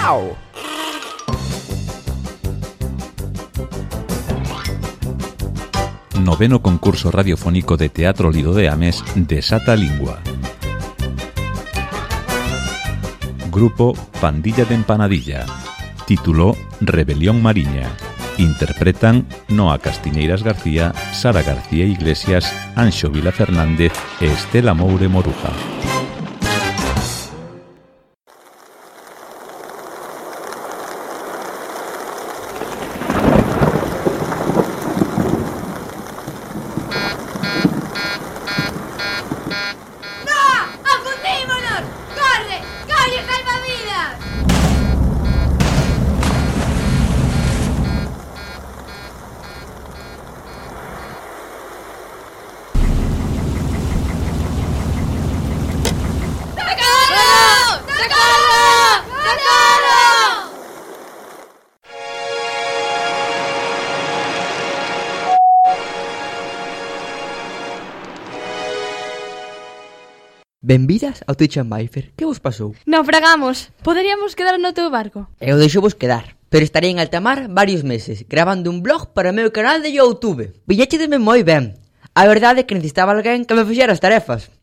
Chao! Noveno concurso radiofónico de Teatro Lido de Ames Desata Lingua. Grupo Pandilla de Empanadilla. Título Rebelión Mariña. Interpretan Noa Castiñeiras García, Sara García Iglesias, Anxo Vila Fernández e Estela Moure Moruja. Benvidas ao Twitch and Bifer. Que vos pasou? Naufragamos. Poderíamos quedar no teu barco. Eu deixo vos quedar, pero estarei en alta mar varios meses, gravando un blog para o meu canal de YouTube. Pilláchedeme moi ben. A verdade é que necesitaba alguén que me fixera as tarefas.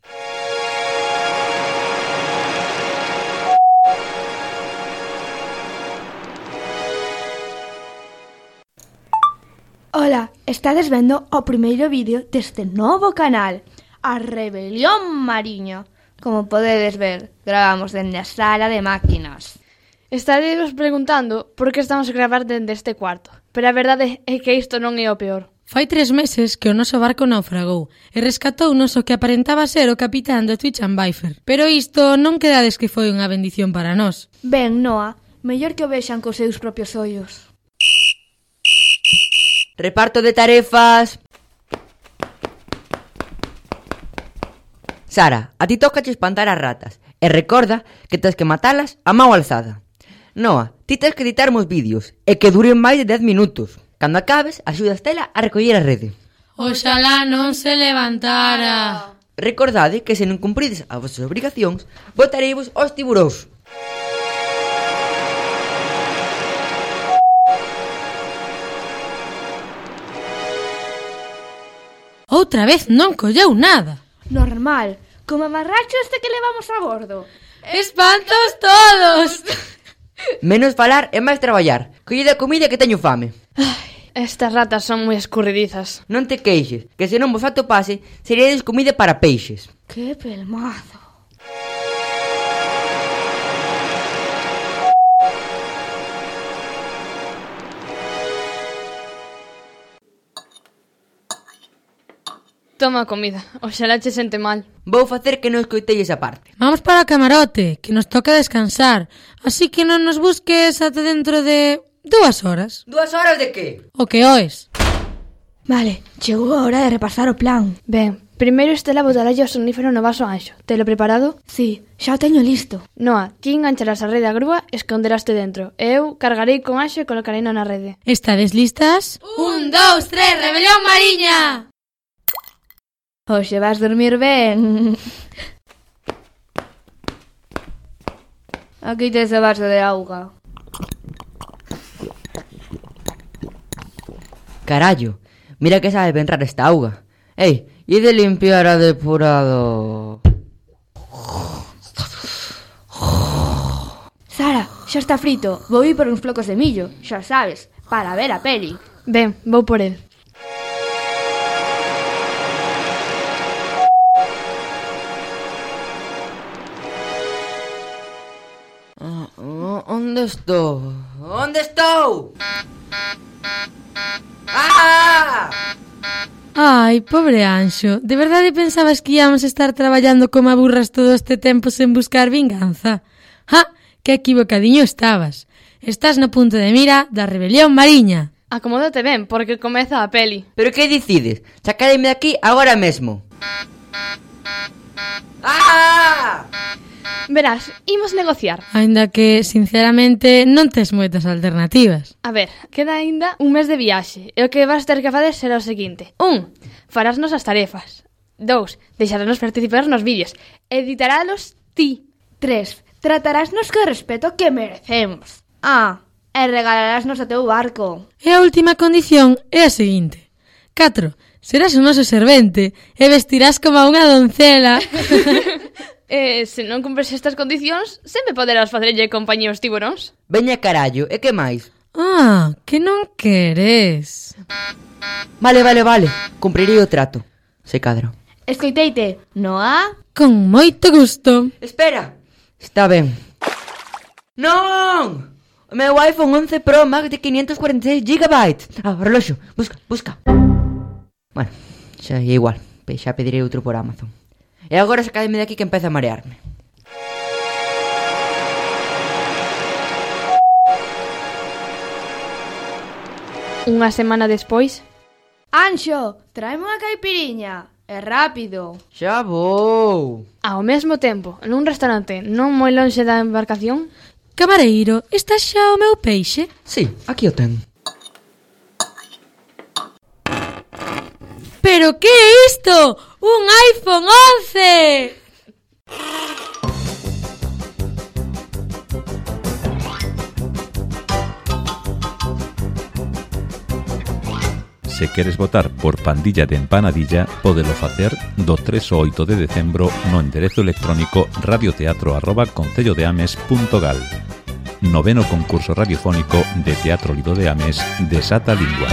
Ola, estades vendo o primeiro vídeo deste novo canal, a Rebelión Mariña. Como podedes ver, gravamos dende a sala de máquinas. Estaréis preguntando por que estamos a gravar dende este cuarto, pero a verdade é que isto non é o peor. Fai 3 meses que o noso barco naufragou e rescatounos o que aparentaba ser o capitán do Twitch and Bifer. Pero isto non quedades que foi unha bendición para nós. Ben, Noa, mellor que o vexan cos seus propios ollos. Reparto de tarefas. Sara, a ti tócache espantar as ratas. E recorda que tens que matalas a mão alzada. Noa, ti tens que editar os vídeos e que duren máis de 10 minutos. Cando acabes, axuda a Estela a recoller a rede. Oxalá non se levantara. Recordade que se non cumprides as vosas obrigacións, botareivos aos tiburóns. Outra vez non colleu nada. Normal, como amarracho este que levamos a bordo. ¡Espantos todos! Menos falar e máis traballar. Collide a comida que teño fame. Estas ratas son moi escurridizas. Non te queixes, que se non vos atopase, seríades comida para peixes. Que pelmazo. Toma comida, oxalá che sente mal. Vou facer que non escoitei esa parte. Vamos para o camarote, que nos toca descansar. Así que non nos busques ata dentro de 2 horas. 2 horas de que? O que oes. Vale, chegou a hora de repasar o plan. Ben, primeiro Estela botarlle o sonífero no vaso Anxo. Telo preparado? Sí, xa o teño listo. Noa, ti engancharás a rede á grúa e esconderaste dentro. E eu cargarei con Anxo e colocarei na rede. Estades listas? 1, 2, 3, Rebelión Mariña! Hoxe vas dormir ben. Aquí tes o vaso de auga. Carallo, mira que sabe ben rara esta auga. Ei, e de limpiar a depurado. Sara, xa está frito. Vou ir por uns flocos de millo, xa sabes, para ver a peli. Ben, vou por el. Onde estou? Onde estou? ¡Ah! Ai, pobre Anxo, de verdade pensabas que íamos estar traballando como a burras todo este tempo sen buscar vinganza? ¡Ja! Que equivocadiño estabas. Estás no punto de mira da Rebelión Mariña. Acomódate ben, porque comeza a peli. Pero que decides? Sacademe de aquí agora mesmo. ¡Ah! Verás, imos negociar. Aínda que, sinceramente, non tes moitas alternativas. A ver, queda aínda un mes de viaxe. E o que vas ter que fazer será o seguinte. 1. Farásnos as tarefas. 2. Deixarnos participar nos vídeos. Editarálos ti. 3. tratarásnos co respeto que merecemos. E regalarásnos o teu barco. E a última condición é a seguinte. 4. Serás o noso servente e vestirás como a unha doncela. Se non cumpres estas condicións, sempre poderás facerlle compañía aos tiburóns. Veña carallo, e que máis? Que non queres. Vale, cumprirei o trato. Se cadro. Escoiteite, Noa? Con moito gusto. Espera, está ben. Non! O meu iPhone 11 Pro Max de 546 GB. Reloxo, busca. Bueno, xa é igual. Xa pedirei outro por Amazon. E agora sacademe de aquí que empeza a marearme. Unha semana despois... Anxo, tráeme unha caipiriña. É rápido. Xa vou. Ao mesmo tempo, nun restaurante non moi lonxe da embarcación... Camareiro, está xa o meu peixe? Sí, aquí o ten. Pero que é isto? Un iPhone 11! Se queres votar por Pandilla de Empanadilla, pódelo facer do 3 ao 8 de decembro no enderezo electrónico radioteatro@concellodeames.gal. 9º concurso radiofónico de Teatro Lido de Ames de Sata Lingua.